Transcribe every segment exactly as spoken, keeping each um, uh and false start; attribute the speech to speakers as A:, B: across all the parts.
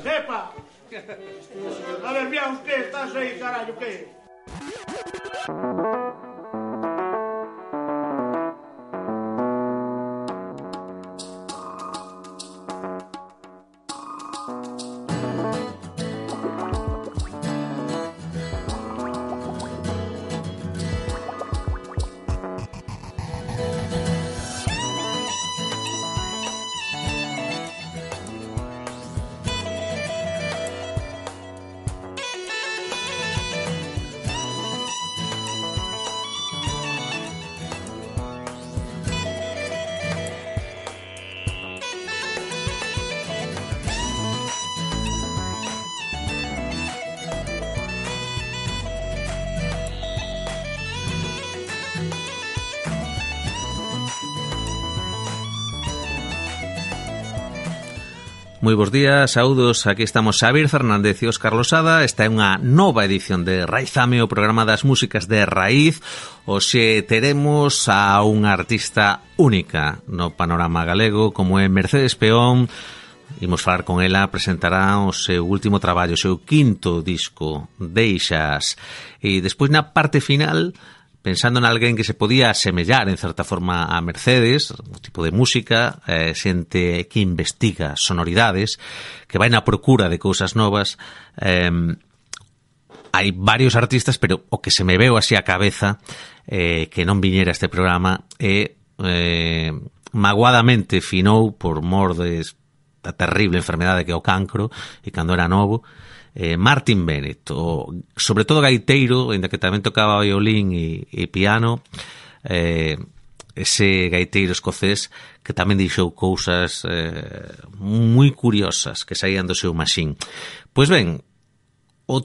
A: Sepa! A ver, mira usted, estás aí, carallo, que?
B: Moi bons días, saúdos, aquí estamos Xavier Fernández e Óscar Losada. Esta é unha nova edición de Raizame, o programa das músicas de raíz. Hoxe teremos a unha artista única no panorama galego, como é Mercedes Peón. Imos falar con ela, presentará o seu último traballo, o seu quinto disco, Deixas. E despois na parte final, pensando en alguén que se podía asemellar en certa forma a Mercedes, o tipo de música, eh, xente que investiga sonoridades, que vai na procura de cousas novas. Eh, hai varios artistas, pero o que se me veo así a cabeza eh, que non viñera este programa é eh, magoadamente finou por mor de a terrible enfermedade que é o cancro, e cando era novo, Eh, Martin Bennett, o, sobre todo gaiteiro, ainda que tamén tocaba violín e, e piano, eh, ese gaiteiro escocés que tamén deixou cousas eh, moi curiosas que saían do seu machín. Pois ben, o,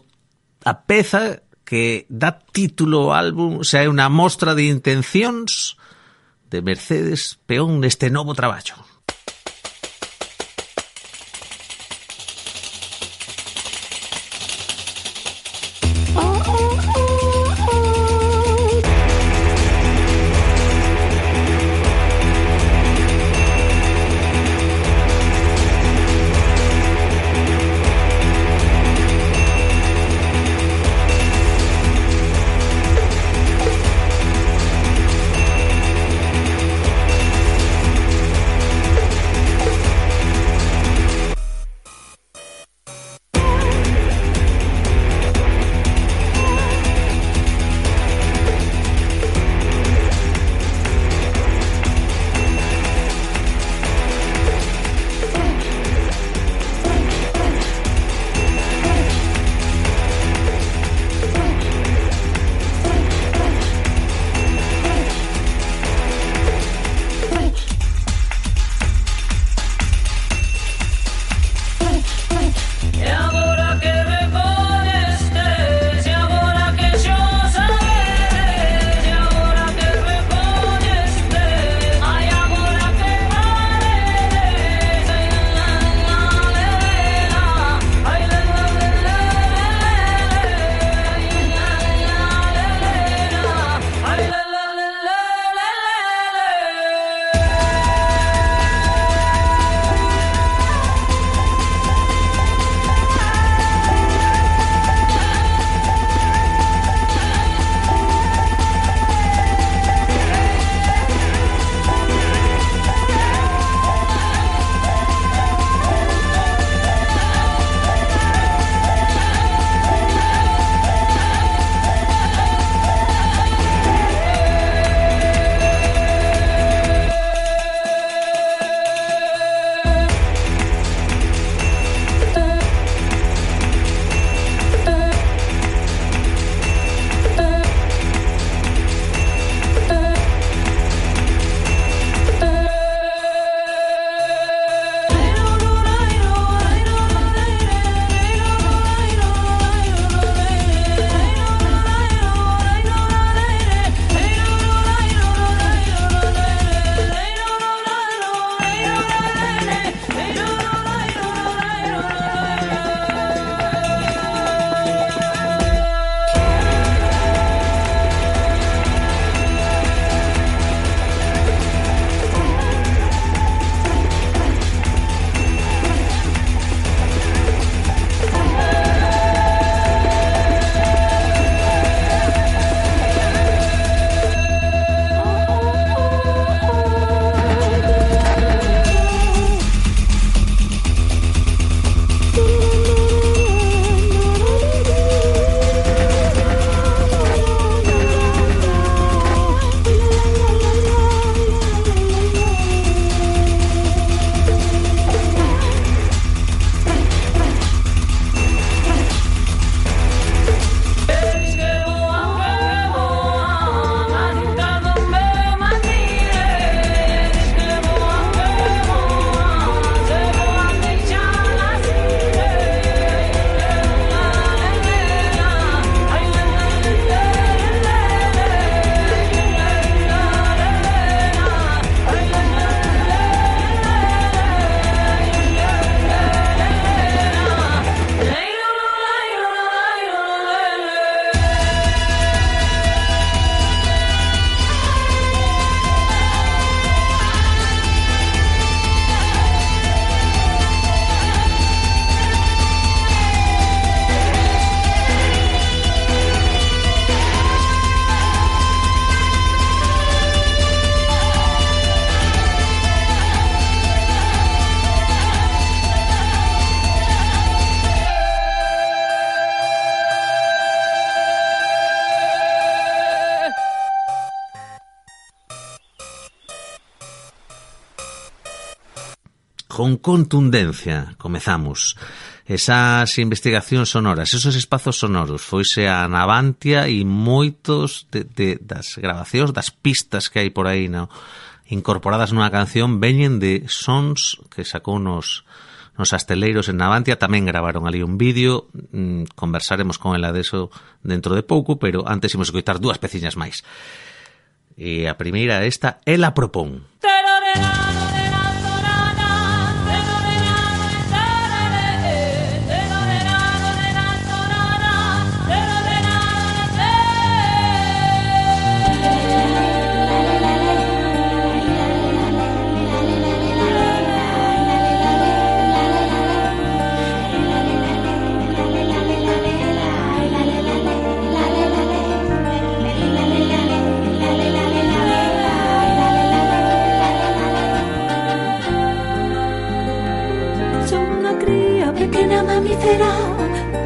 B: a peza que dá título ao álbum xa é unha mostra de intencións de Mercedes Peón neste novo traballo. con contundencia comezamos. Esas investigacións sonoras, esos espazos sonoros, foise a Navantia e moitos de, de, das grabacións, das pistas que hai por aí no, incorporadas nunha canción veñen de sons que sacou nos, nos asteleiros en Navantia. Tamén gravaron ali un vídeo, mm, conversaremos con ela deso dentro de pouco, pero antes imos escoitar dúas peciñas máis. E a primeira, esta, ela propón.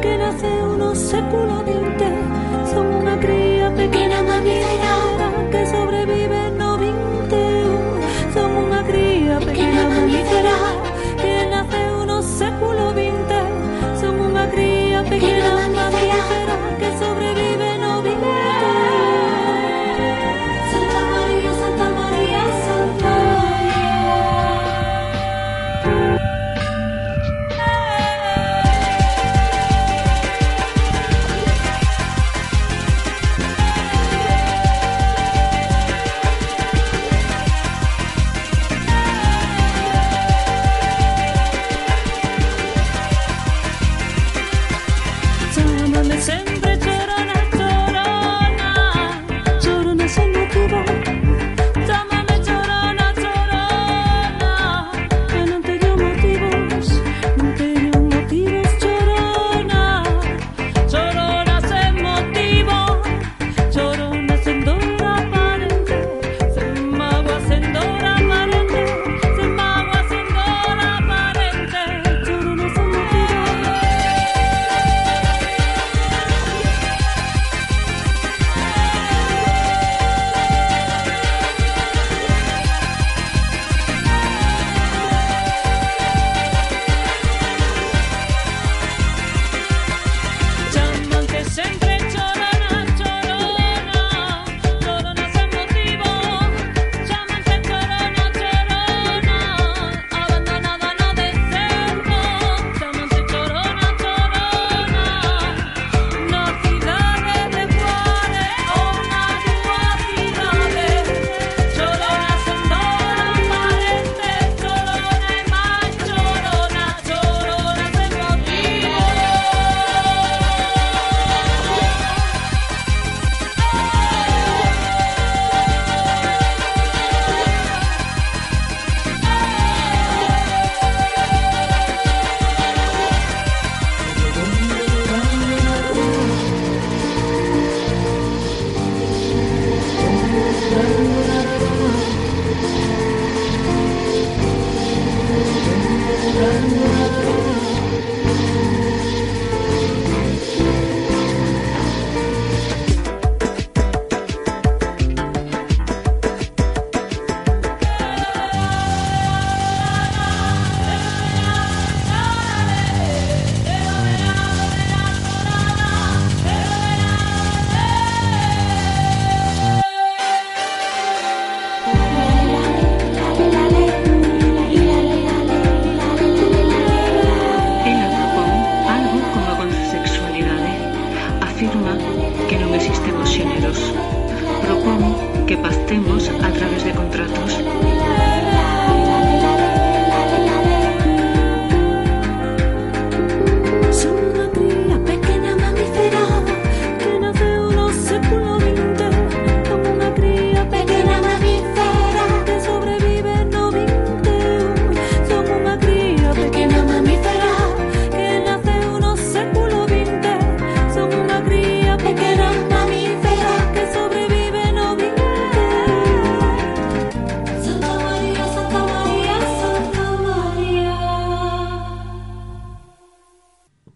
C: Que nace unos séculos veinte. Son una cría pequeña mamífera que sobrevive no veintiuno. Son una cría pequeña mamífera que nace unos séculos veinte. Son una cría pequeña mamífera que sobrevive no veinte. Santa María, Santa María, Santa María. Santa María.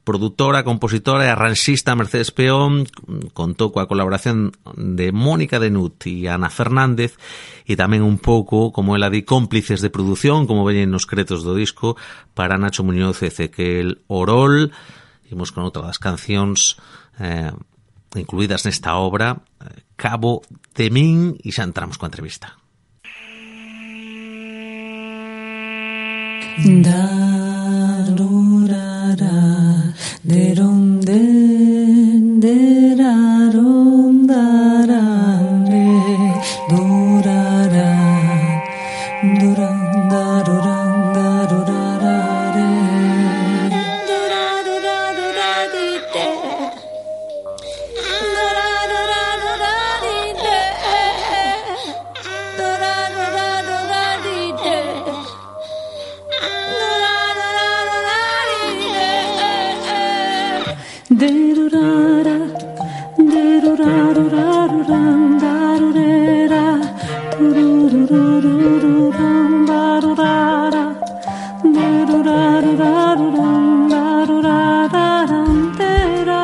B: produtora, compositora e arranxista Mercedes Peón, contou coa colaboración de Mónica Denut e Ana Fernández, e tamén un pouco, como ela di, cómplices de produción, como veñen nos créditos do disco, para Nacho Muñoz e Ezequiel Orol. Imos con outra das cancións eh, incluídas nesta obra, eh, Cabo de Min, e xa entramos coa entrevista.
C: Da-ru-ra-ra, de-rum, de, de-ra-rum, da-ra-re, du-ra-ra, du-ram, da-ru-ram, da-ru-ra-ra-re. Du-ra-du-ra-du-ra-di-de, du-ra-du-ra-du-ra-di-de, du-ra-du-ra-du-ra-di-de. De-ru-ra-ra, de-ru-ra-ru-ra-ru-ram, da-ru-re-ra, du-ru-ru-ru-ru-ru-ram, da-ru-ra-ra, de-ru-ra-ru-ra-ru-ram, da-ru-ra-ra-ram, de-ra.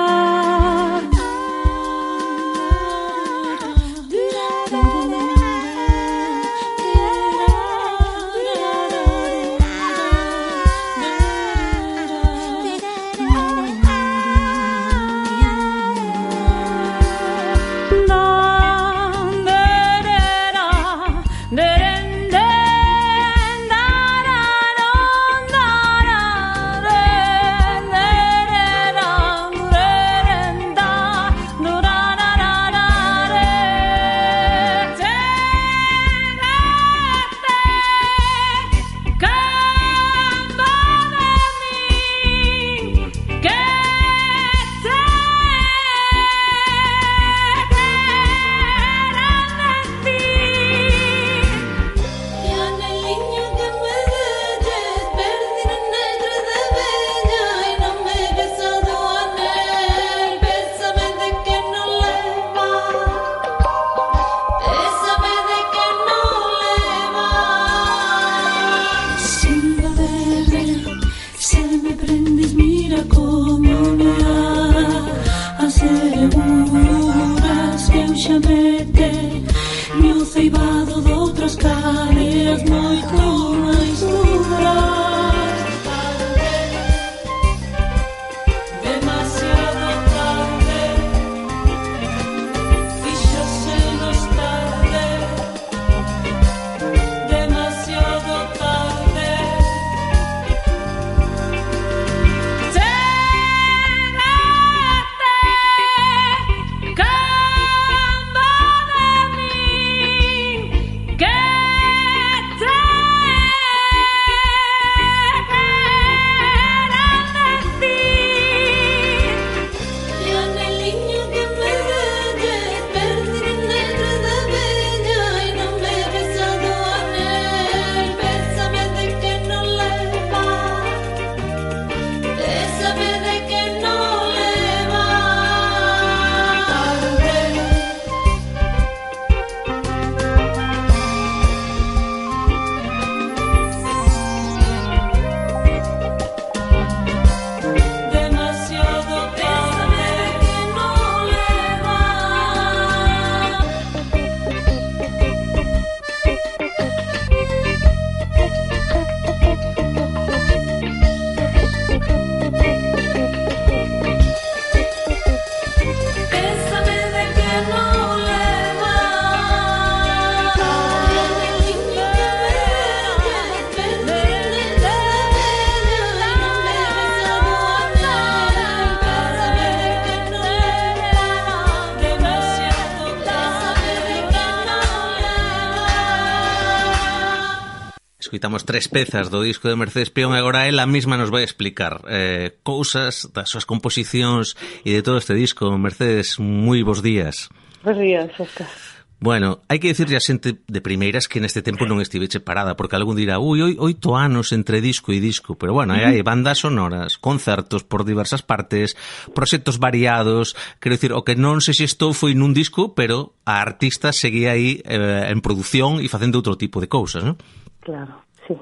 B: Escoitamos tres pezas do disco de Mercedes Peón e agora ela mesma nos vai explicar eh, cousas das súas composicións e de todo este disco. Mercedes, moi bons días.
D: Bos días, Oscar.
B: Bueno, hai que dicirlle a xente de primeiras que neste tempo non estiveche parada, porque algún dirá, ui, oi, oito anos entre disco e disco, pero bueno, hai, hai bandas sonoras, concertos por diversas partes, proxectos variados, quero dicir, o que non se xestou foi nun disco, pero a artista seguía aí eh, en produción e facendo outro tipo de cousas, non?
D: Claro, sí,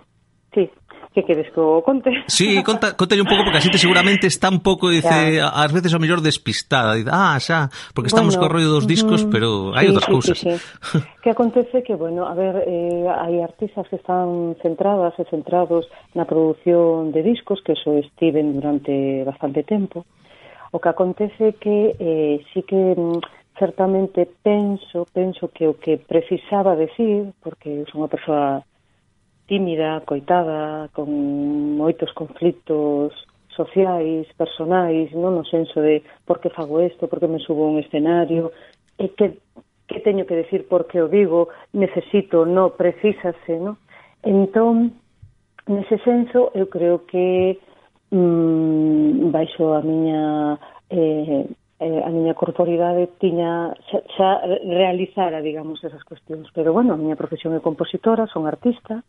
D: sí. Que queres que o conte?
B: Sí, conta, contalle un pouco, porque a xente seguramente está un pouco, dice,
D: claro.
B: ás veces ao mellor despistada, dice, ah, xa, porque estamos
D: bueno,
B: co rollo dos discos, uh-huh. pero hai
D: sí,
B: outras
D: sí,
B: cousas.
D: Sí, sí. Que acontece que, bueno, a ver, eh, hai artistas que están centradas e centrados na produción de discos, que eso estiven durante bastante tempo. O que acontece que eh, sí que certamente penso, penso que o que precisaba decir, porque son unha persoa tímida, coitada, con moitos conflitos sociais, personais, non no senso de por que fago isto, por que me subo a un escenario, e que, que teño que decir por que o digo, necesito, no, precisase, non? Entón, nese senso, eu creo que mmm, baixo a miña eh, eh, a miña corporidade tiña xa, xa realizara, digamos, esas cuestións. Pero, bueno, a miña profesión é compositora, son artista,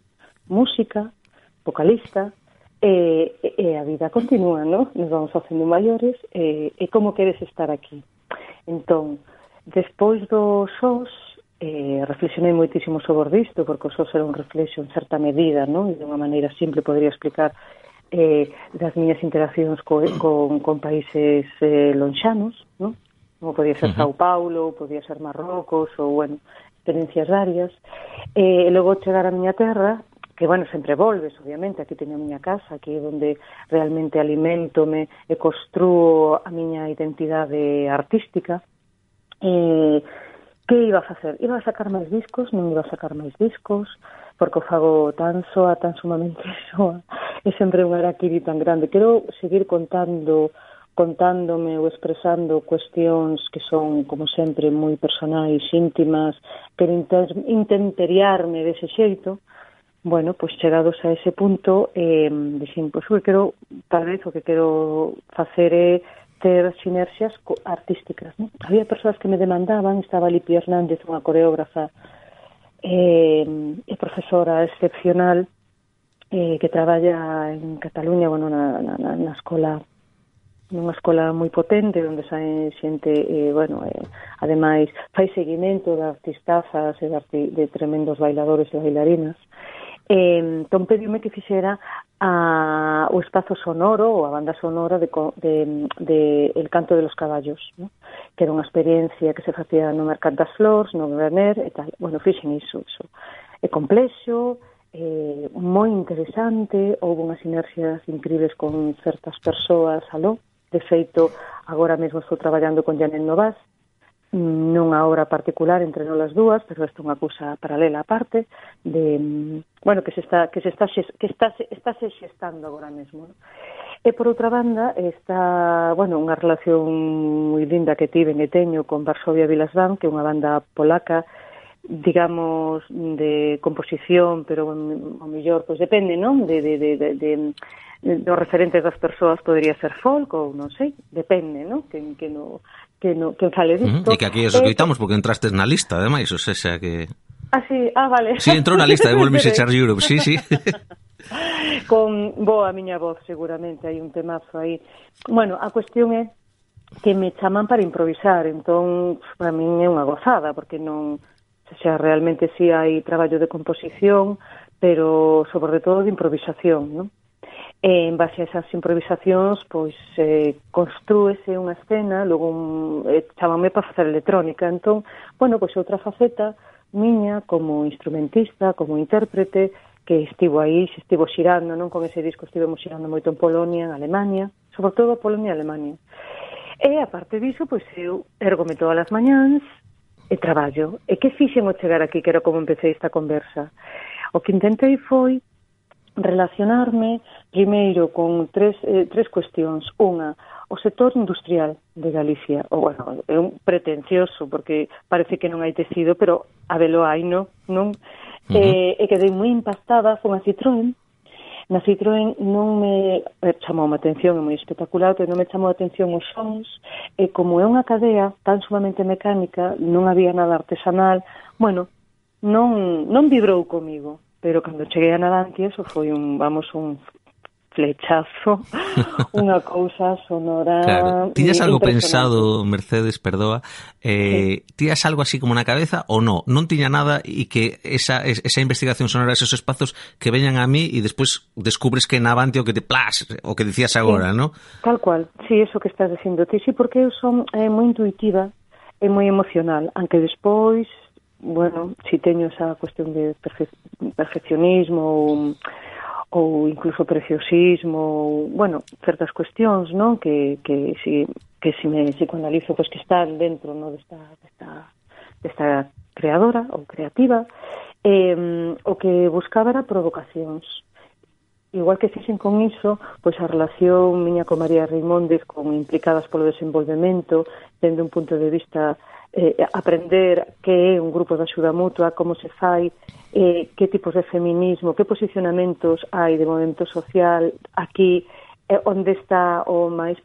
D: música, vocalista, e, e a vida continúa, non? Nos vamos facendo maiores, e, e como queres estar aquí? Entón, despois dos sós, eh, reflexionei moitísimo sobre isto, porque os sós era un reflexo en certa medida, non? E de unha maneira simple podría explicar eh, das miñas interaccións co, con, con países eh, lonxanos, non? Como podía ser uh-huh. Sao Paulo, podía ser Marrocos, ou, bueno, experiencias varias. E, e logo chegar a miña terra, que, bueno, sempre volves, obviamente, aquí teño a miña casa, aquí é onde realmente alimentome e construo a miña identidade artística. E que iba a facer? Iba a sacar máis discos, non iba a sacar máis discos, porque o fago tan soa, tan sumamente soa, é sempre un araquiri tan grande. Quero seguir contando, contándome ou expresando cuestións que son, como sempre, moi personais, íntimas, quero intenteriarme dese xeito. Bueno, pois chegados a ese punto, eh, dixen, pois, eu quero, tal vez, o que quero facer é ter sinerxias artísticas, non? Había persoas que me demandaban, estaba Lipi Hernández, unha coreógrafa eh, e profesora excepcional, eh, que traballa en Cataluña, bueno, na, na, na escola, nunha escola moi potente, onde saen xente, eh, bueno, eh, ademais, fai seguimento de artistazas e de, arti de tremendos bailadores e bailarinas. Eh, entón pediume que fixera a, o espazo sonoro ou a banda sonora de, de, de El canto de los caballos, ¿no? Que era unha experiencia que se facía no Mercat das Flors, no Bener e tal. Bueno, fixen iso, iso. É complexo, eh, moi interesante, houve unhas sinerxias incríveis con certas persoas, aló. De feito, agora mesmo estou traballando con Janet Novas, nunha obra particular entre nolas dúas, pero isto é unha cousa paralela aparte de, bueno, que se está que se está que está está se xestando agora mesmo, ¿no? E por outra banda está, bueno, unha relación moi linda que tiven e teño con Varsovia Vilas Band, que é unha banda polaca, digamos, de composición, pero o mellor, pois depende, non? De de de de, de dos referentes das persoas podería ser folk ou non sei, depende, non? Que que no que no que fale disto.
B: Uh -huh. E que aquí eso escoitamos porque entrastes na lista, ademais, o sea que
D: Ah, sí, ah, vale.
B: Sí, entrou na lista de World Music Chart Europe, sí, sí.
D: Con boa miña voz, seguramente, hai un temazo aí. Bueno, a cuestión é que me chaman para improvisar, entón, para min é unha gozada, porque non, o sea, realmente si sí hai traballo de composición, pero sobre todo de improvisación, non? E en base a esas improvisacións, pois, eh, construese unha escena, logo un, eh, chámame para facer electrónica. Entón, bueno, pois outra faceta miña como instrumentista, como intérprete, que estivo aí, se estivo xirando, non? Con ese disco estivemos xirando moito en Polonia, en Alemania, sobre todo Polonia e Alemania. E, aparte diso, pois, eu ergome todas as mañáns e traballo. E que fixen ao chegar aquí, que era como empecé esta conversa? O que intentei foi relacionarme primeiro con tres, eh, tres cuestións. Unha, o sector industrial de Galicia. O, bueno, é un pretencioso, porque parece que non hai tecido, pero a velo hai, non? non? Uh -huh. E, e quedei moi impactada, foi unha Citroën. Na Citroën non me eh, chamou a atención, é moi espectacular, pero non me chamou a atención os sons, e como é unha cadea tan sumamente mecánica, non había nada artesanal, bueno, non, non vibrou comigo. Pero cando cheguei a Navantia, eso foi un, vamos, un flechazo, unha cousa sonora.
B: Claro. Tiñas algo pensado, Mercedes, perdoa, eh, sí. Tiñas algo así como na cabeza ou no? Non tiña nada e que esa, esa investigación sonora, esos espazos que veñan a mí e despois descubres que na avante o que te plas, o que dicías agora,
D: sí,
B: ¿no?
D: Tal cual, sí, eso que estás dicindo ti, sí, porque eu son eh, moi intuitiva e moi emocional, aunque despois, bueno, si teño esa cuestión de perfe perfeccionismo ou ou incluso preciosismo, bueno, certas cuestións, non? Que, que si, que si me psicoanalizo, pois que están dentro, non, desta, desta, desta creadora ou creativa, eh, o que buscaba era provocacións. Igual que fixen con iso, pois a relación miña con María Reimóndez, con implicadas polo desenvolvemento, dende un punto de vista eh, aprender que é un grupo de axuda mutua, como se fai, eh, que tipos de feminismo, que posicionamentos hai de movimento social aquí, eh, onde está o máis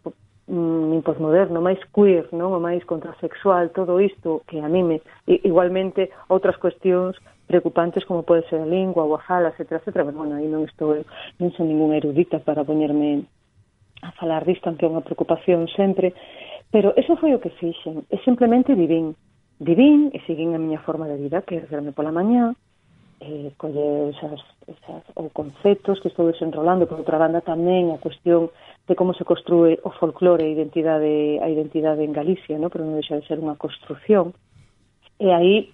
D: mm, posmoderno, máis queer, non? O máis contrasexual, todo isto que a mí me, igualmente outras cuestións preocupantes como pode ser a lingua ou a fala, etcétera, etcétera, pero bueno, aí non estou, non son ninguna erudita para poñerme a falar disto, aunque é unha preocupación sempre, pero eso foi o que fixen, e simplemente vivín, vivín e seguín a miña forma de vida, que é verme pola mañá, eh, coller esas, esas ou conceptos que estou desenrolando, por outra banda tamén a cuestión de como se construe o folclore, a identidade, a identidade en Galicia, ¿no? Pero non deixa de ser unha construción, e aí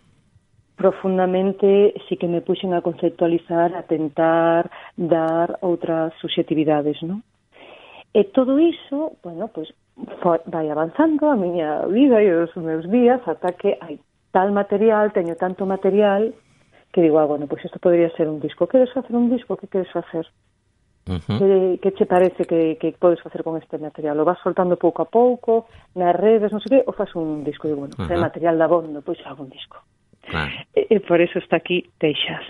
D: profundamente sí que me puxen a conceptualizar, a tentar dar outras subxetividades, ¿no? E todo iso, bueno, pois pues, vai avanzando a miña vida e os meus días ata que hai tal material, teño tanto material que digo, ah, bueno, pois pues isto podría ser un disco. Queres facer un disco? Que queres facer? Uh-huh. Que, que che parece que, que podes facer con este material? O vas soltando pouco a pouco, nas redes, non sei que, ou faz un disco? E digo, bueno, uh-huh. É material da bondo, pois fago un disco. Claro. E, e por eso está aquí Teixas.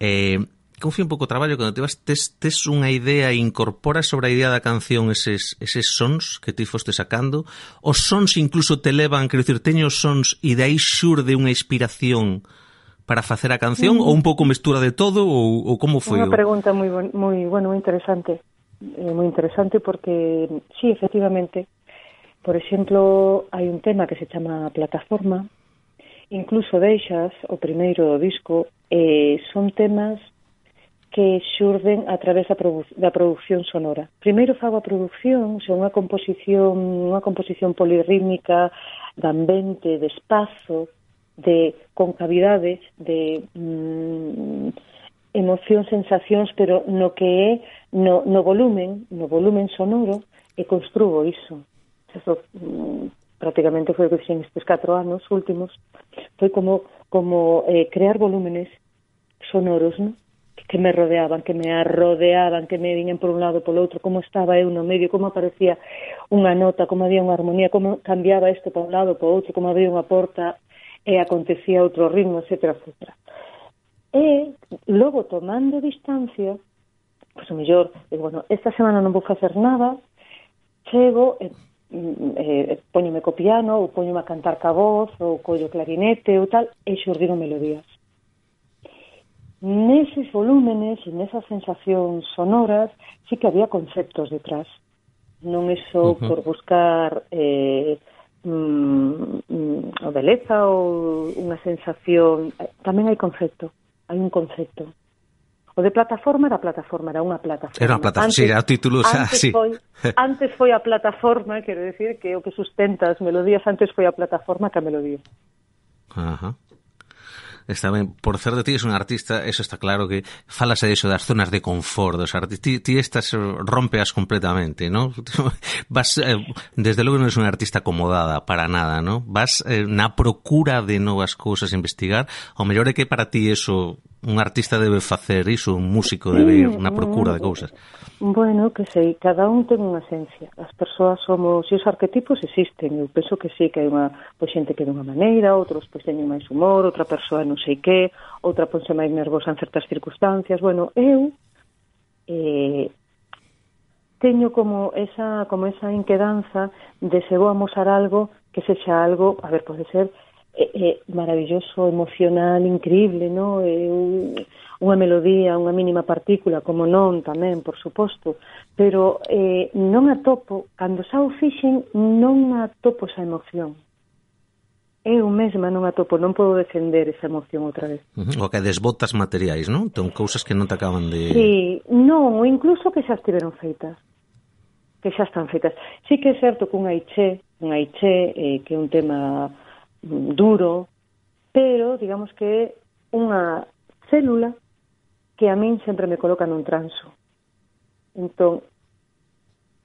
B: eh, confío un pouco o traballo, cando te vas, tes, tes unha idea e incorporas sobre a idea da canción eses, eses sons que ti foste sacando, os sons incluso te levan, quero dicir, teño os sons e de aí xurde unha inspiración para facer a canción, mm. ou un pouco mestura de todo, ou, ou como foi?
D: Unha pregunta moi, moi, bueno, moi interesante, eh, moi interesante porque, sí, efectivamente, por exemplo, hai un tema que se chama Plataforma, incluso deixas o primeiro do disco, eh, son temas que xurden a través da, produ da produción sonora. Primeiro fago a produción, o sea, unha composición, unha composición polirrítmica, de ambiente, de espazo, de concavidades, de mm, emocións, sensacións, pero no que é no, no volumen, no volumen sonoro, e construo iso. Eso mm, prácticamente foi o que fixen estes catro anos últimos. Foi como, como eh, crear volúmenes sonoros, ¿no? Que me rodeaban, que me arrodeaban, que me viñan por un lado polo outro, como estaba eu no medio, como aparecía unha nota, como había unha armonía, como cambiaba isto para un lado, para outro, como había unha porta e acontecía outro ritmo, etcétera, etcétera. E logo, tomando distancia, pois o mellor, digo, bueno, esta semana non vou facer nada, chego, e, e, poñome co piano, ou poñome a cantar ca voz, ou collo clarinete, ou tal, e xurdiron melodías. Neses volúmenes e nesas sensacións sonoras sí que había conceptos detrás. Non é só uh -huh. por buscar eh, mm, o beleza ou unha sensación. Tamén hai concepto, hai un concepto. O de plataforma era plataforma, era unha plataforma.
B: Era unha plataforma, antes, sí, era o título, xa,
D: antes
B: sí.
D: Foi, antes foi a plataforma, quero decir que o que sustenta as melodías, antes foi a plataforma que a melodía.
B: Ajá. Está ben, por ser de ti es un artista, eso está claro, que falase de eso, das zonas de confort dos artistas, ti, ti estas rompeas completamente, ¿no? Vas, eh, desde logo non es un artista acomodada para nada, ¿no? Vas eh, na procura de novas cousas a investigar, ao mellor é que para ti eso, un artista debe facer iso, un músico debe ir na procura de cousas.
D: Bueno, que sei, cada un ten unha esencia. As persoas somos, e os arquetipos existen, eu penso que sí, que hai unha, pois xente que de unha maneira, outros pois teñen máis humor, outra persoa non sei que, outra ponse máis nervosa en certas circunstancias. Bueno, eu eh, teño como esa como esa inquedanza de se vou amosar algo que sexa algo, a ver, pode ser é, é maravilloso, emocional, increíble, no? É un, unha melodía, unha mínima partícula, como non tamén, por suposto, pero eh, non atopo, cando xa o fixen, non atopo esa emoción. Eu mesma non atopo, non podo defender esa emoción outra vez.
B: Uh-huh. O que desbotas materiais, non? Son cousas que non te acaban de...
D: Sí, non, ou incluso que xa estiveron feitas. Que xa están feitas. Sí que é certo que un aiché, un aiché, eh, que é un tema duro, pero, digamos que é unha célula que a min sempre me coloca nun transo. Entón,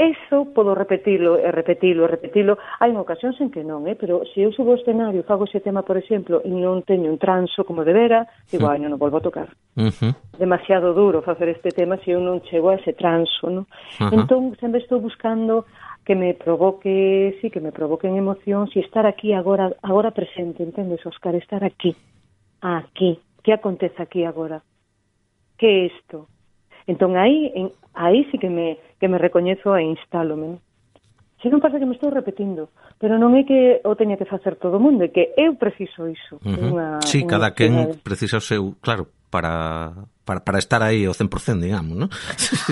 D: eso podo repetilo e repetilo e repetilo. Hai unha ocasión sen que non, eh? Pero se eu subo ao escenario, fago ese tema, por exemplo, e non teño un transo como debera, digo, ai, non, non volvo a tocar.
B: Uh-huh.
D: Demasiado duro facer este tema se eu non chego a ese transo, non? Uh-huh. Entón, sempre estou buscando que me provoque, sí, que me provoquen emocións e estar aquí agora, agora presente, entendes, Óscar? Estar aquí, aquí. Que acontece aquí agora? Que é isto? Entón, aí, en, aí sí que me, que me recoñezo e instálome. Se non pasa que me estou repetindo, pero non é que o teña que facer todo o mundo, é que eu preciso iso.
B: Uh-huh.
D: Unha,
B: sí,
D: unha
B: cada
D: actividade.
B: quen precisa o seu, claro, para, para, para estar aí ao cen por cento, digamos, non?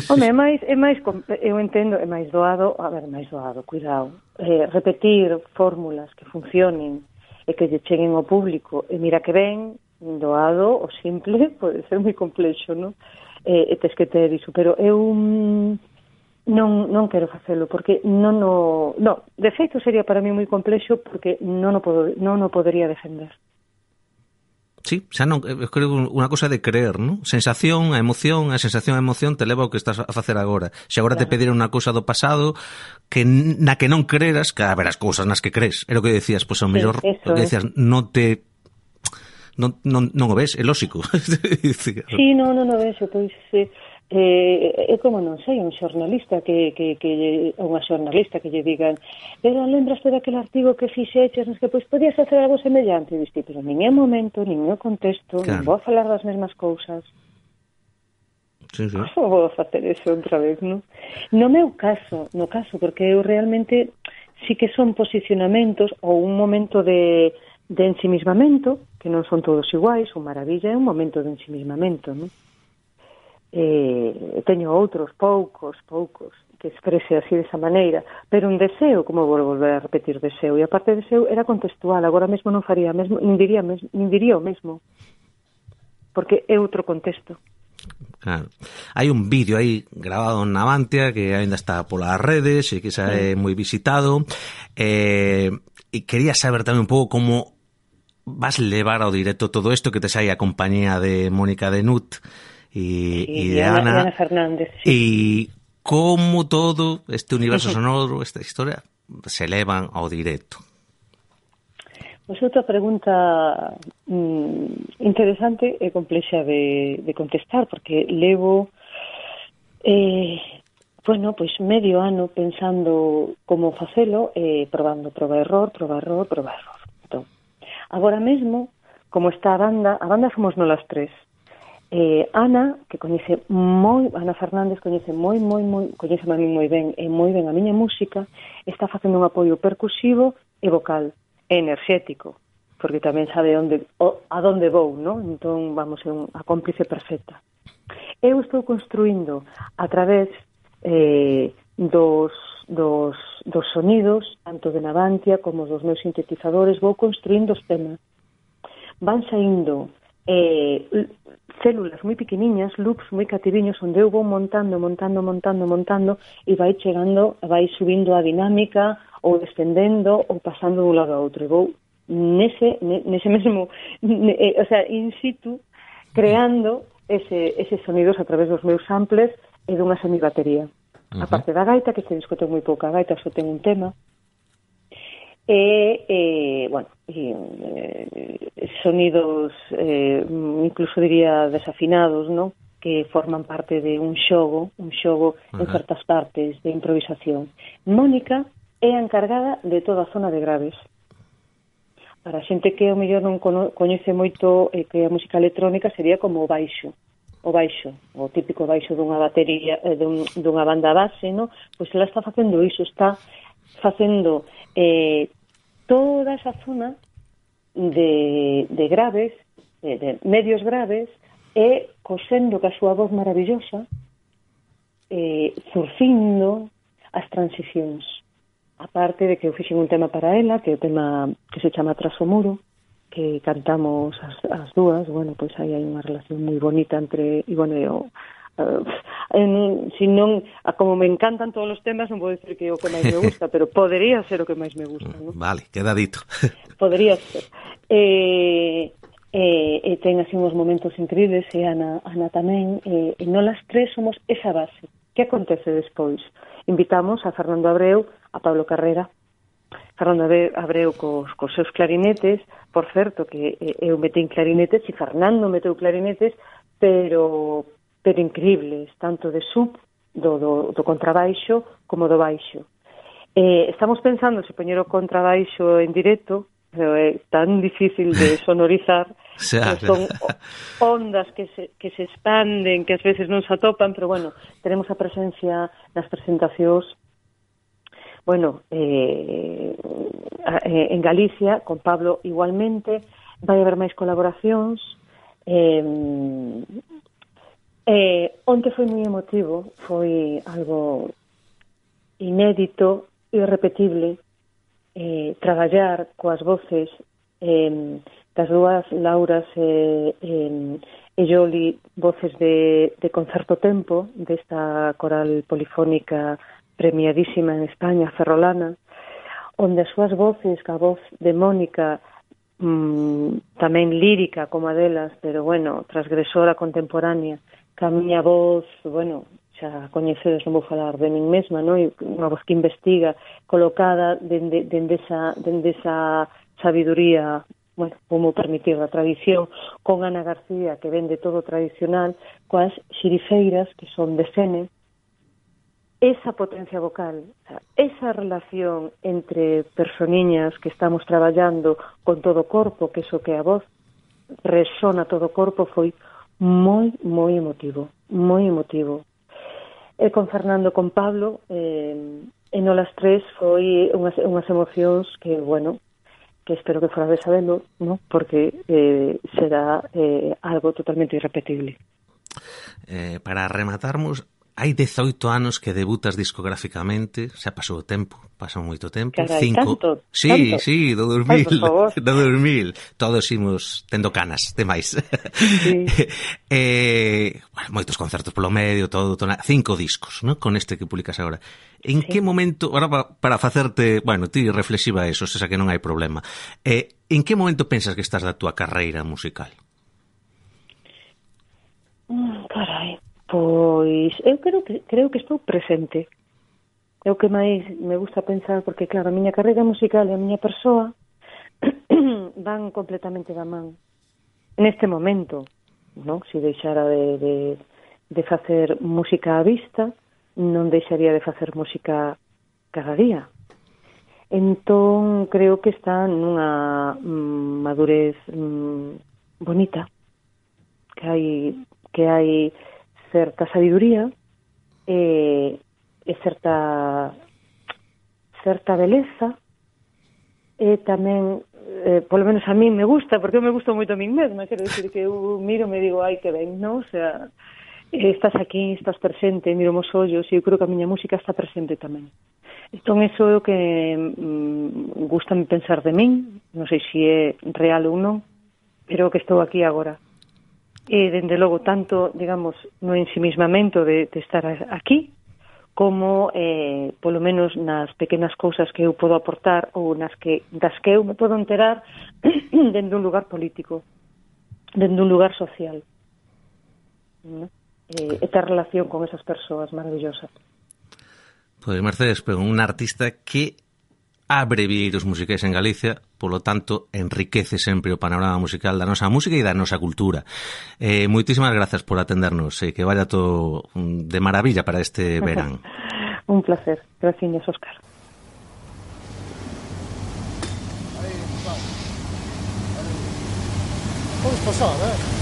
D: Home, é máis, é máis, eu entendo, é máis doado, a ver, máis doado, cuidado, eh, repetir fórmulas que funcionen e que lle cheguen ao público, e mira que ben, doado ou simple, pode ser moi complexo, non? E, e tes que ter iso, pero eu mm, non, non quero facelo, porque non o... No, de feito sería para mí moi complexo porque non o, podo, non o podería defender.
B: Sí, xa non, eu creo unha cosa de creer, non? Sensación, a emoción, a sensación, a emoción te leva ao que estás a facer agora. Se agora claro. te pediron unha cosa do pasado que na que non creras, que a ver, as cousas nas que crees, era o que decías, pois pues, ao mellor, sí, o que decías, es. non te... Non, non, non o ves, é lógico.
D: Sí, non, non o ves, pois é eh, como non sei, un xornalista que, que, que unha xornalista que lle digan, pero lembraste daquele artigo que fixeches, que pois podías facer algo semellante, e diste, pero nin é momento, nin é contexto, claro. Non vou a falar das mesmas cousas.
B: Sí, sí.
D: Como vou facer eso outra vez, non? No meu caso, no caso, porque eu realmente sí que son posicionamentos ou un momento de de ensimismamento, que non son todos iguais, o Maravilla é un momento de ensimismamento, non? Eh, teño outros poucos, poucos, que exprese así desa maneira, pero un deseo, como vou volver a repetir deseo, e a parte de deseo era contextual, agora mesmo non faría mesmo, nin diría, mesmo, nin diría o mesmo, porque é outro contexto.
B: Claro. Hai un vídeo aí grabado en Navantia que ainda está polas redes e que xa é moi visitado, eh, e quería saber tamén un pouco como vas levar ao directo todo isto, que te sai a compañía de Mónica de Nut e,
D: sí,
B: e de Ana,
D: Ana Fernández, sí.
B: E como todo este universo sonoro, esta historia, se levan ao directo.
D: Pois outra pregunta mm, interesante e complexa de, de contestar, porque levo eh, bueno, pois medio ano pensando como facelo, eh, probando, proba error, proba error, proba error. Entón, agora mesmo, como está a banda, a banda somos nolas tres. Eh, Ana, que coñece moi, Ana Fernández coñece moi, moi, moi, coñece a mí moi ben, e moi ben a miña música, está facendo un apoio percusivo e vocal, e enerxético, porque tamén sabe onde, o, a donde vou, non? Entón, vamos, é un, a cómplice perfecta. Eu estou construindo a través eh, dos, dos, dos sonidos, tanto de Navantia como dos meus sintetizadores, vou construindo os temas. Van saindo eh, células moi pequeniñas, loops moi cativiños, onde eu vou montando, montando, montando, montando, e vai chegando, vai subindo a dinámica, ou descendendo, ou pasando dun lado a outro. E vou nese, nese mesmo, ne, eh, o sea, in situ, creando ese, eses sonidos a través dos meus samples e dunha semibatería. Uh-huh. A parte da gaita, que este disco ten moi pouca gaita, só ten un tema, e, eh, bueno, e, eh, sonidos eh, incluso diría desafinados, ¿no?, que forman parte de un xogo, un xogo uh-huh. en certas partes de improvisación. Mónica é a encargada de toda a zona de graves. Para a xente que ao mellor non coñece moito eh, que a música electrónica sería como o baixo, o baixo, o típico baixo dunha batería, eh, dun, dunha banda base, ¿no? Pois ela está facendo iso, está facendo eh, toda esa zona de, de graves, de, de medios graves, e cosendo ca súa voz maravillosa, eh, surcindo as transicións. Aparte de que eu fixen un tema para ela, que é o tema que se chama Tras o muro, que cantamos as, as dúas, bueno, pois aí hai unha relación moi bonita entre, e bueno, eu, uh, en, si non, a como me encantan todos os temas, non vou dicir que é o que máis me gusta, pero podería ser o que máis me gusta, ¿no?
B: Vale, queda dito.
D: Podería ser. Eh, eh, e ten así uns momentos incríveis, e Ana, Ana tamén, e, e non las tres somos esa base. Que acontece despois? Invitamos a Fernando Abreu, a Pablo Carrera, Fernando Abreu cos, cos seus clarinetes, por certo que eu metei clarinetes e Fernando meteu clarinetes, pero pero increíbles, tanto de sub, do, do, do contrabaixo, como do baixo. Eh, estamos pensando se poñer o contrabaixo en directo, pero é tan difícil de sonorizar,
B: sea,
D: que son ondas que se, que se expanden, que ás veces non se atopan, pero bueno, tenemos a presencia nas presentacións. Bueno, eh, en Galicia, con Pablo igualmente, vai haber máis colaboracións. Eh, eh, onte foi moi emotivo, foi algo inédito, irrepetible, eh, traballar coas voces eh, das dúas Lauras e eh, eh, Yoli, voces de, de Concerto Tempo, desta coral polifónica premiadísima en España, Ferrolana, onde as súas voces, a voz de Mónica, mmm, tamén lírica como a delas, pero, bueno, transgresora contemporánea, que a miña voz, bueno, xa coñecedes, non vou falar de min mesma, non? Unha voz que investiga, colocada dende, dende, esa, dende esa sabiduría, bueno, como permitir a tradición, con Ana García, que vende todo tradicional, coas xirifeiras, que son de Sene, esa potencia vocal, esa relación entre personiñas que estamos traballando con todo o corpo, que iso que a voz resona todo o corpo, foi moi, moi emotivo, moi emotivo. E con Fernando, con Pablo, eh, e no las tres foi unhas, unhas emocións que, bueno, que espero que fora de sabelo, ¿no? Porque eh, será eh, algo totalmente irrepetible.
B: Eh, para rematarmos, hai dezoito anos que debutas discográficamente, xa pasou o tempo, pasou moito tempo.
D: Carai,
B: Cinco...
D: tanto,
B: sí,
D: tanto.
B: sí, do dos mil,
D: Ai,
B: do dos mil. Todos imos tendo canas, demais.
D: Sí.
B: eh, bueno, moitos concertos polo medio, todo, todo, cinco discos, ¿no? Con este que publicas agora. En sí. Que momento, ahora para, para facerte, bueno, ti reflexiva eso, xa que non hai problema. Eh, en que momento pensas que estás da túa carreira musical?
D: Mm, carai. Pois, eu creo que creo que estou presente. É o que máis me gusta pensar, porque, claro, a miña carreira musical e a miña persoa van completamente da man. Neste momento, non? Se deixara de, de, de facer música á vista, non deixaría de facer música cada día. Entón, creo que está nunha mm, madurez mm, bonita, que hai que hai certa sabiduría e, e certa certa beleza e tamén eh, polo menos a mí me gusta, porque eu me gusto moito a mí mesma, quero dicir que eu miro e me digo, ai que ben, non? O sea, estás aquí, estás presente, miro mos ollos e eu creo que a miña música está presente tamén. Entón, iso é o que mm, gustame pensar de min, non sei se é real ou non, pero que estou aquí agora. E, dende logo, tanto, digamos, no ensimismamento de, de estar aquí, como, eh, polo menos, nas pequenas cousas que eu podo aportar ou nas que, das que eu me podo enterar dende un lugar político, dende un lugar social. ¿No? Eh, e ter relación con esas persoas maravillosas.
B: Pois Mercedes, pero un artista que abre vieiros musicais en Galicia, polo tanto, enriquece sempre o panorama musical da nosa música e da nosa cultura. Eh, moitísimas grazas por atendernos e que vaya todo de maravilla para este verán.
D: Un placer. Gracias, Óscar.
E: Podes pasar, eh?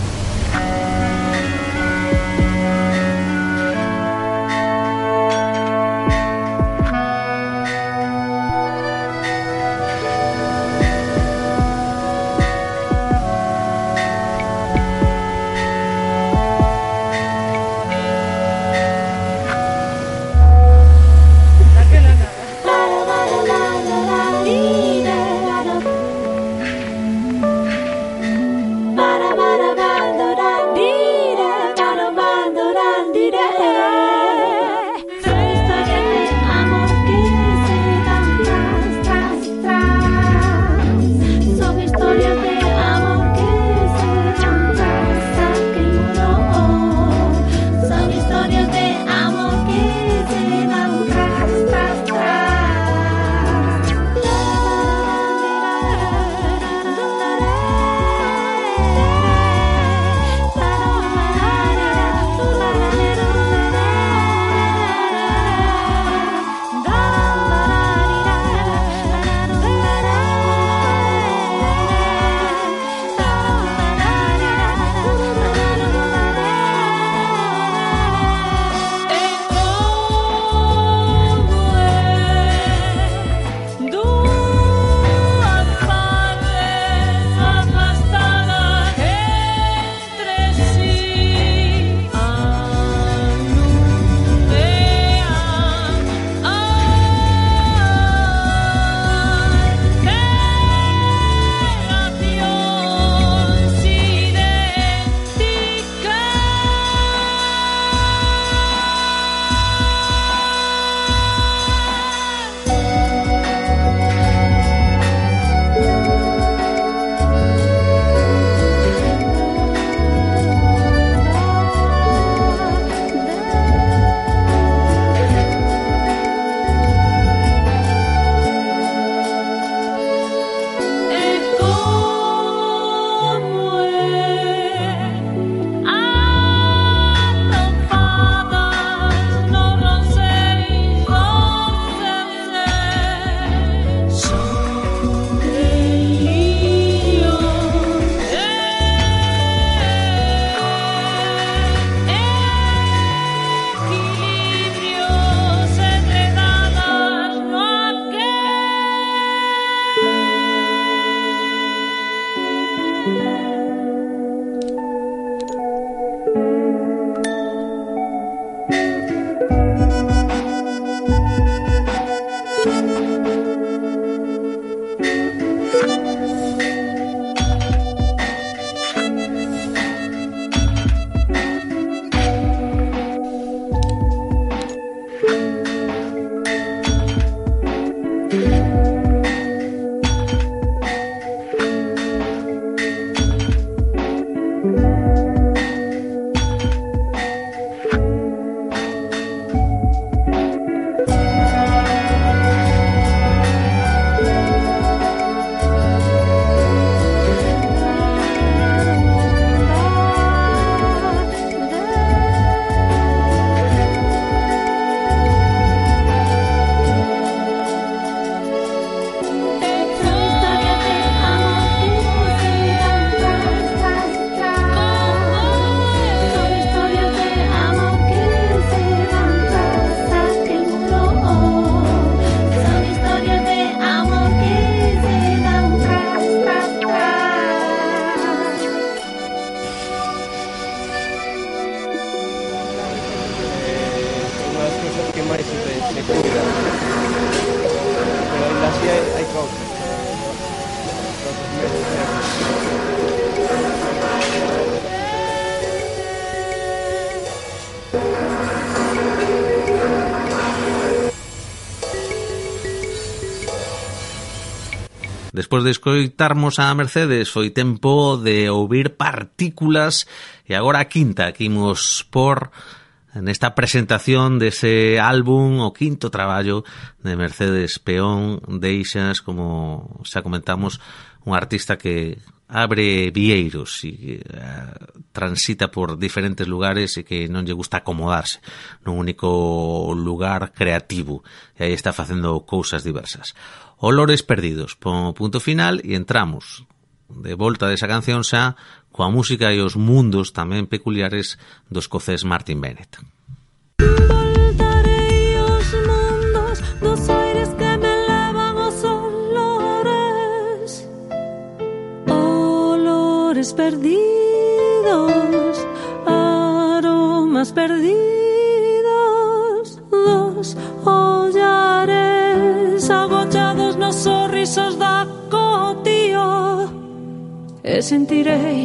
B: Despois de escoitarmos a Mercedes, foi tempo de ouvir Partículas, e agora a quinta que imos por nesta presentación dese álbum, o quinto traballo de Mercedes Peón Deixas, como xa comentamos, un artista que abre vieiros e uh, transita por diferentes lugares e que non lle gusta acomodarse nun único lugar creativo, e aí está facendo cousas diversas. Olores perdidos, pon punto final e entramos de volta desa canción xa coa música e os mundos tamén peculiares do escocés Martin Bennett.
C: Voltarei os mundos dos aires que me levan os olores, olores perdidos, aromas perdidos, dos ollares agochados nos sorrisos da cotío, e sentirei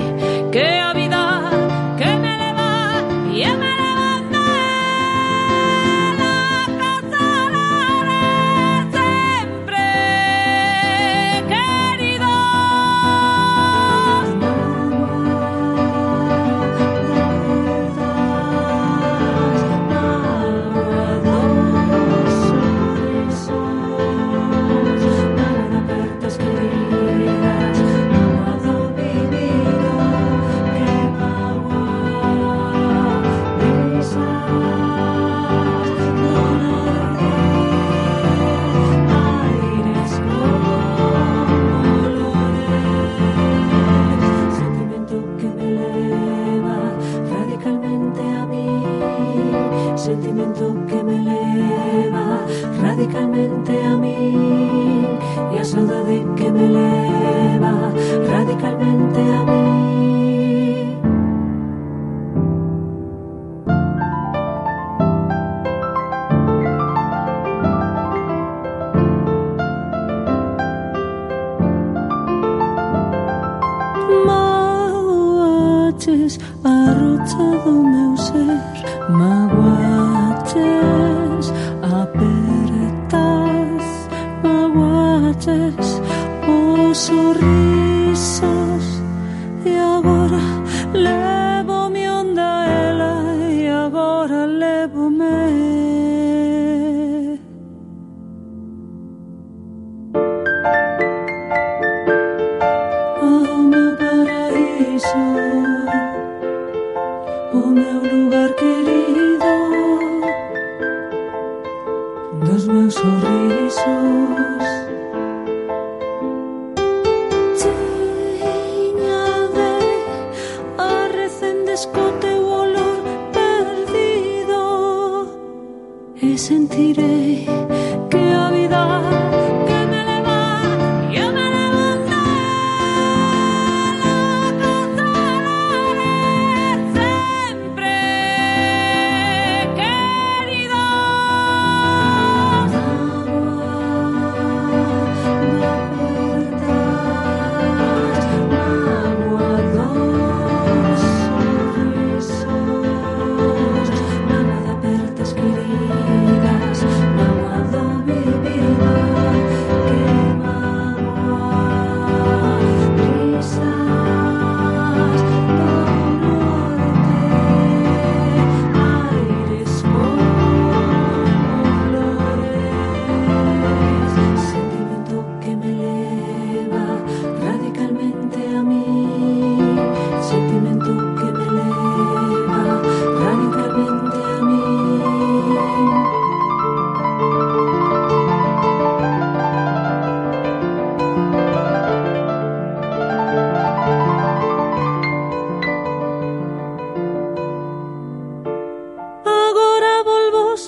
C: que a vida que me leva e me sentimento que me leva radicalmente a mí, e a saudade que me leva radicalmente a mí. Magoaches a rocha do meu ser, magoaches apertas, magoaches os sorrisos, e agora levo-me onda ela, e agora levo-me. Oh, meu paraíso, o meu lugar querido, dos meus sorrisos. Tiñade a recendes co teu olor perdido, e sentirei que a vida que me leva e eu me levanto sempre querido.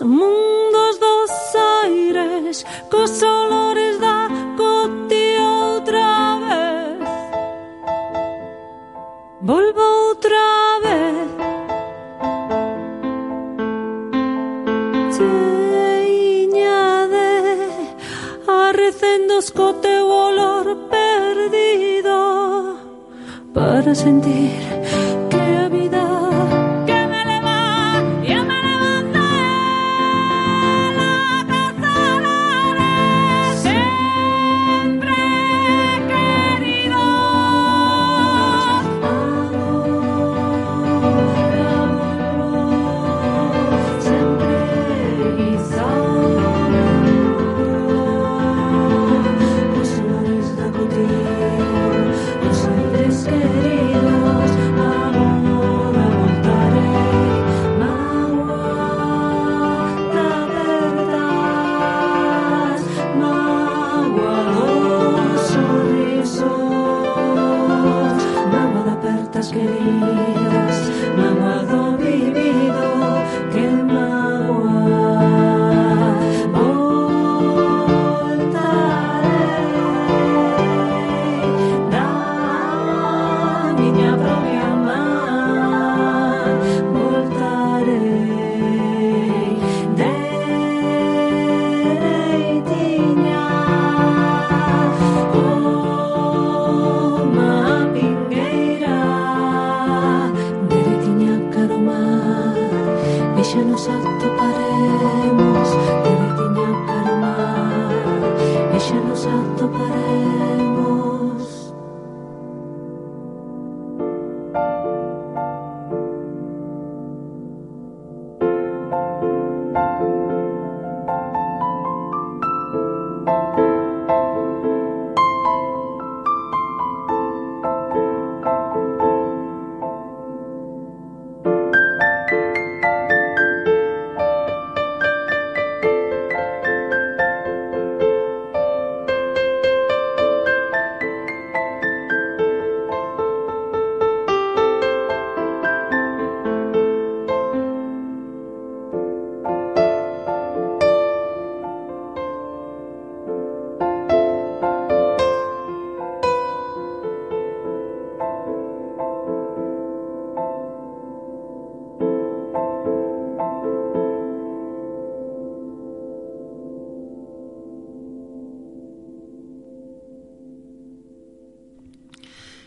C: Mundos dos aires, cos olores da cotía outra vez. Volvo outra vez. Cheiñade arrecendos co teu olor perdido, para sentir que a vida sempre xa nos atoparemos.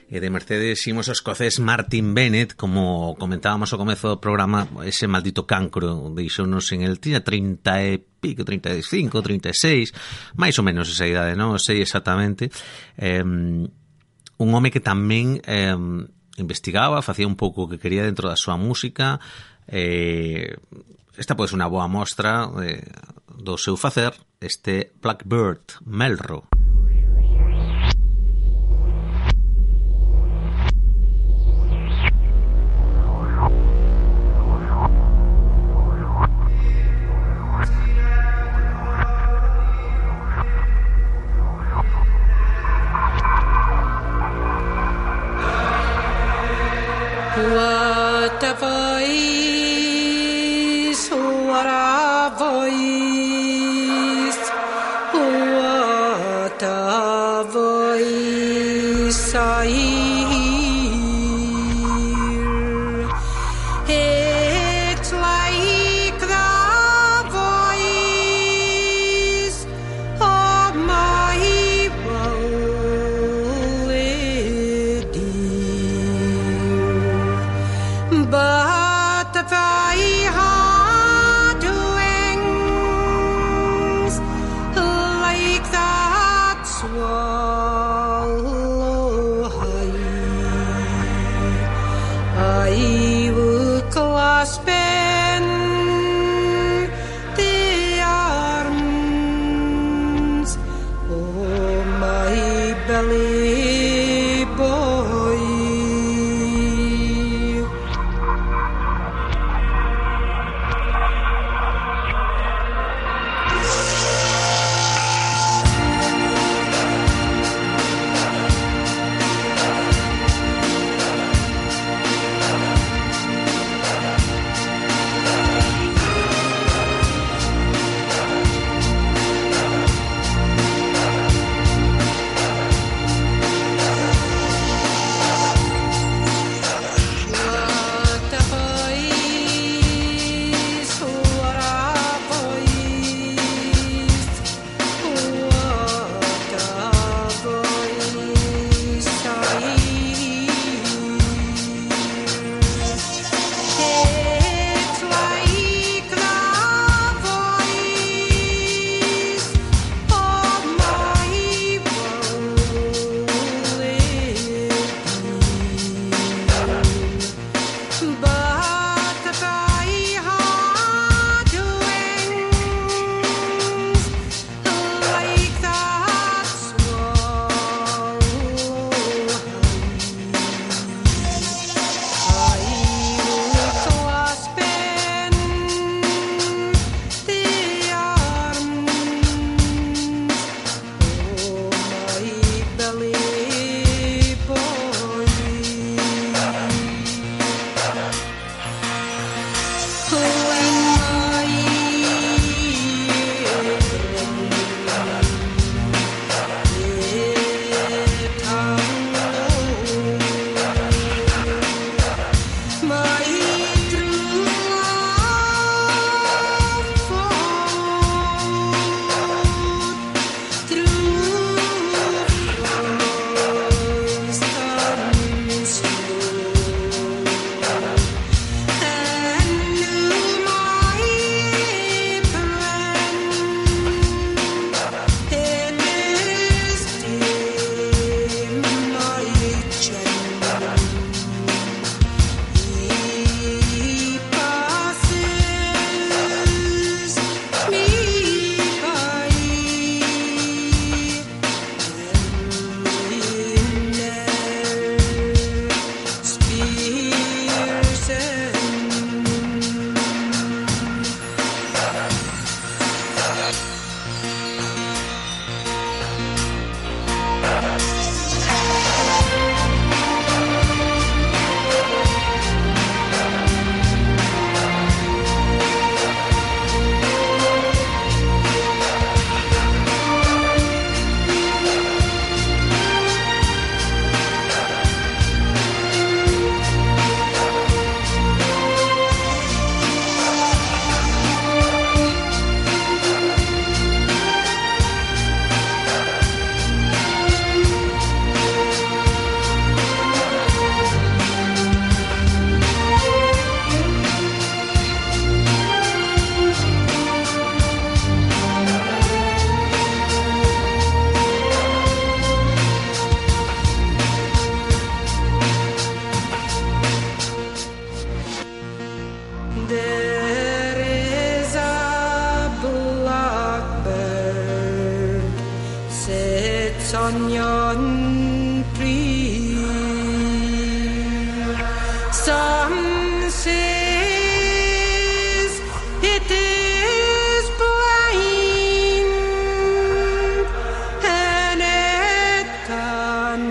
B: E de Mercedes imos ao escocés Martin Bennett, como comentábamos ao comezo do programa, ese maldito cancro deixounos en el, tiña trinta e pico, trinta e cinco, trinta e seis, máis ou menos esa idade, non sei exactamente. Eh, un home que tamén eh, investigaba, facía un pouco o que quería dentro da súa música. Eh, esta pode ser unha boa mostra eh, do seu facer, este Blackbird Melro.
F: What a voice, what a voice, what a voice I hear. It's like the voice of my beloved dear. But if I had wings like that swallow high, onion tree. Some says it is blind and it can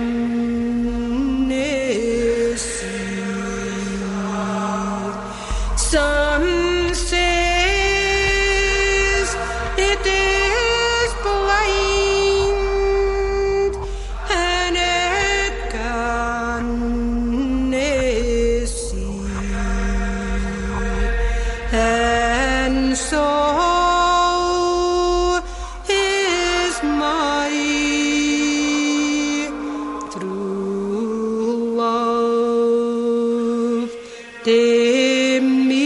F: see. Some says it is blind and it can see. And so is my true love to me.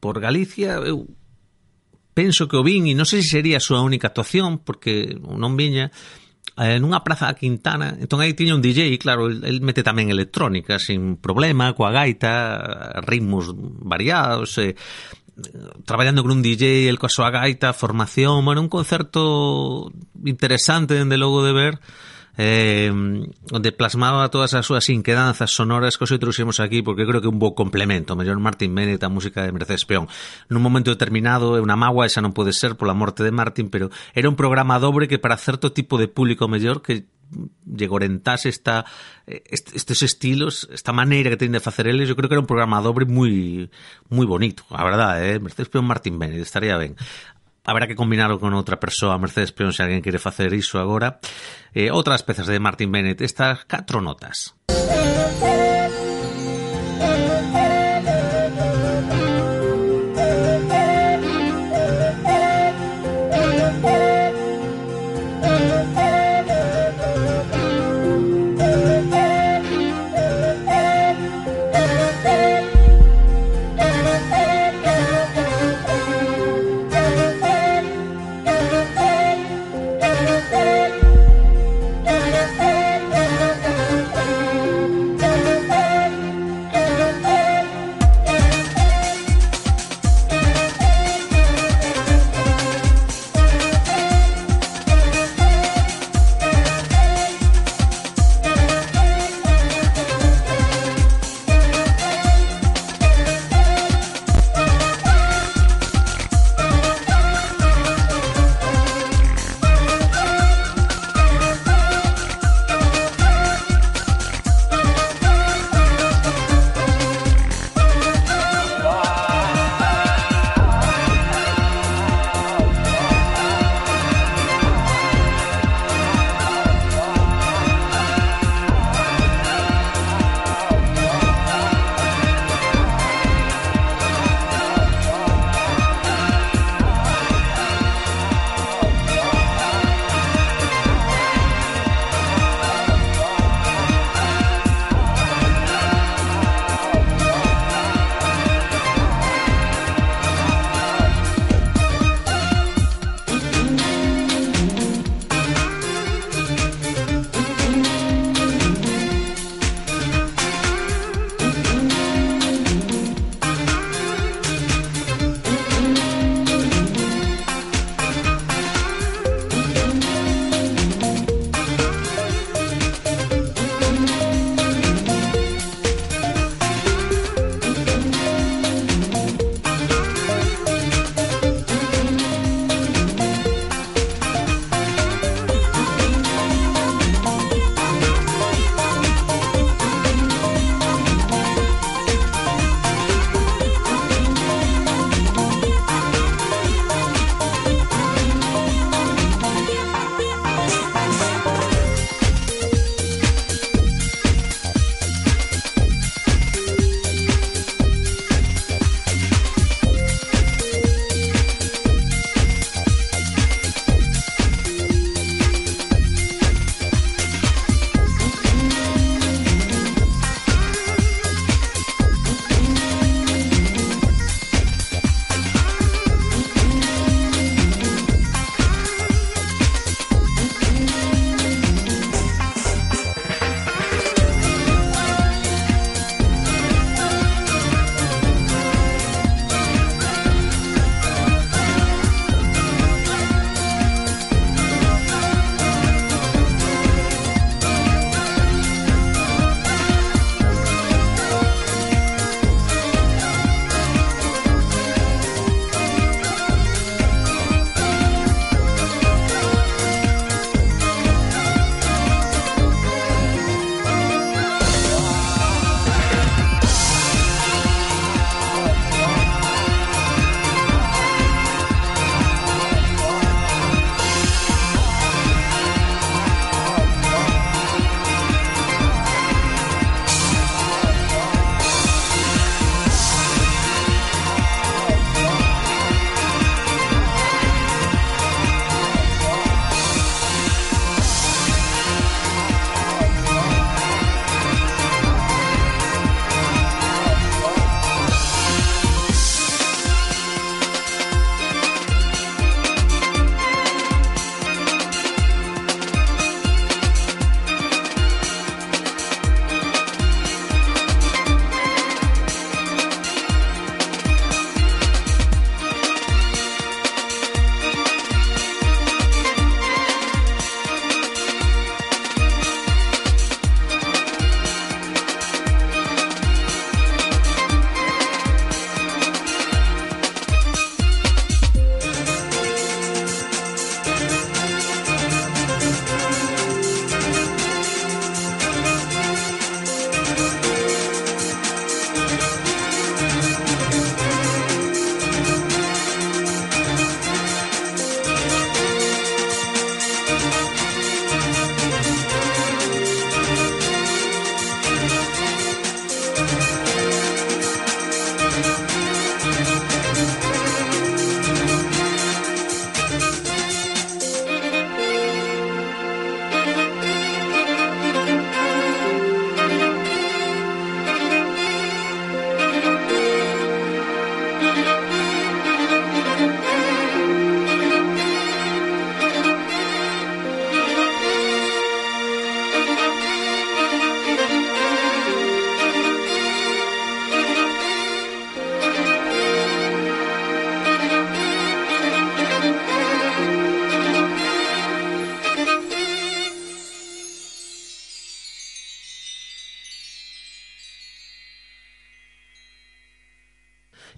B: Por Galicia, eu penso que o vin, e non sei se sería a súa única actuación, porque non viña, eh, nunha praza a Quintana. Entón aí tiña un D J, claro, el, el mete tamén electrónica, sin problema, coa gaita, ritmos variados, eh, traballando con un D J, el coa súa gaita, formación, bueno, un concerto interesante, dende logo de ver, eh, onde plasmaba todas as súas inquedanzas sonoras que hoxe trouxemos aquí, porque creo que é un bo complemento, mellor Martín Bennett a música de Mercedes Peón. Nun momento determinado, é unha mágoa, esa non pode ser pola morte de Martín, pero era un programa dobre que para certo tipo de público mellor que lle gorentase esta, estes estilos, esta maneira que teñen de facer eles, eu creo que era un programa dobre moi moi bonito, a verdade, eh? Mercedes Peón, Martín Bennett, estaría ben. Haberá que combinarlo con outra persoa, Mercedes Peón, se alguén quere facer iso agora. Eh, outras pezas de Martín Bennett, estas catro notas.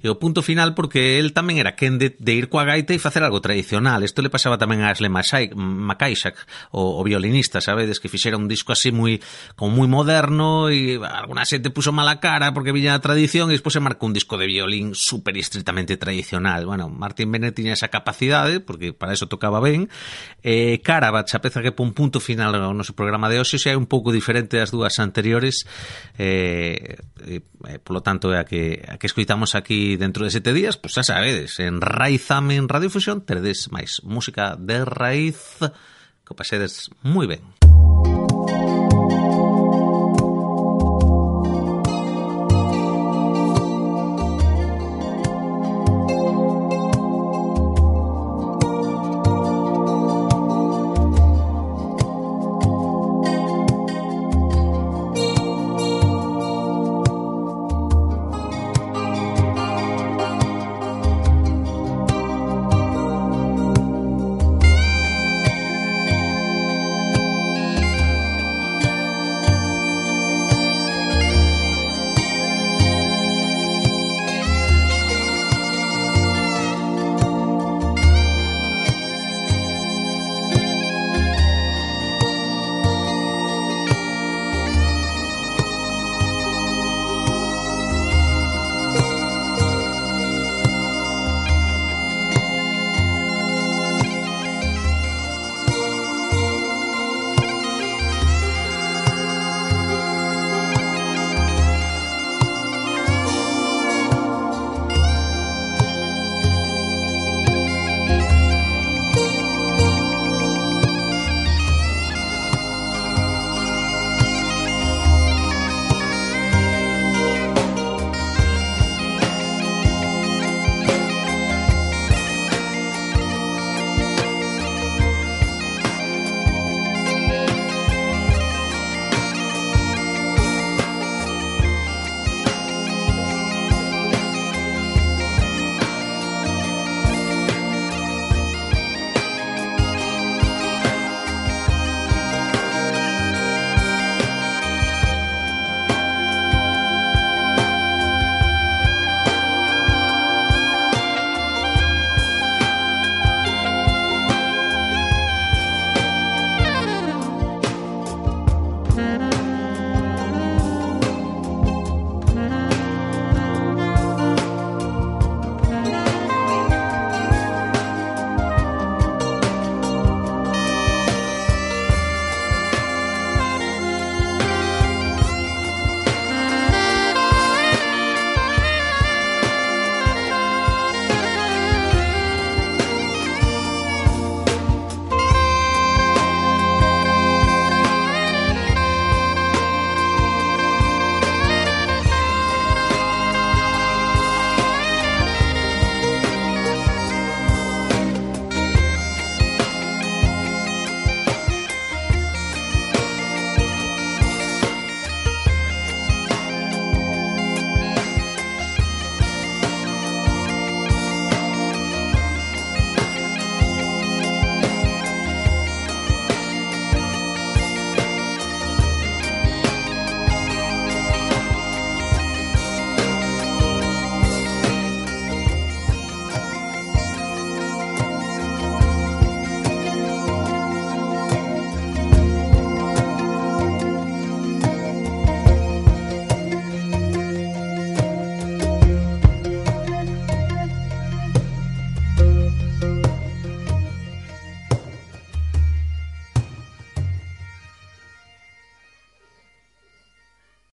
B: e o punto final porque el tamén era quen de, de ir coa gaita e facer algo tradicional. Isto le pasaba tamén a Asle Macaixac, o, o violinista, sabedes, que fixera un disco así moi como moi moderno e alguna xente puso mala cara porque viña a tradición e despois se marcou un disco de violín super estritamente tradicional. Bueno, Martín Benet tiña esa capacidade porque para eso tocaba ben. Eh, Caravach, a peza que pon punto final ao noso programa de hoxe, xa é un pouco diferente das dúas anteriores, eh, eh, polo tanto é a que, a que escoitamos aquí dentro de sete días, pois xa sabedes, en Raizame en Radiofusión teredes máis música de raíz, que pasedes moi ben.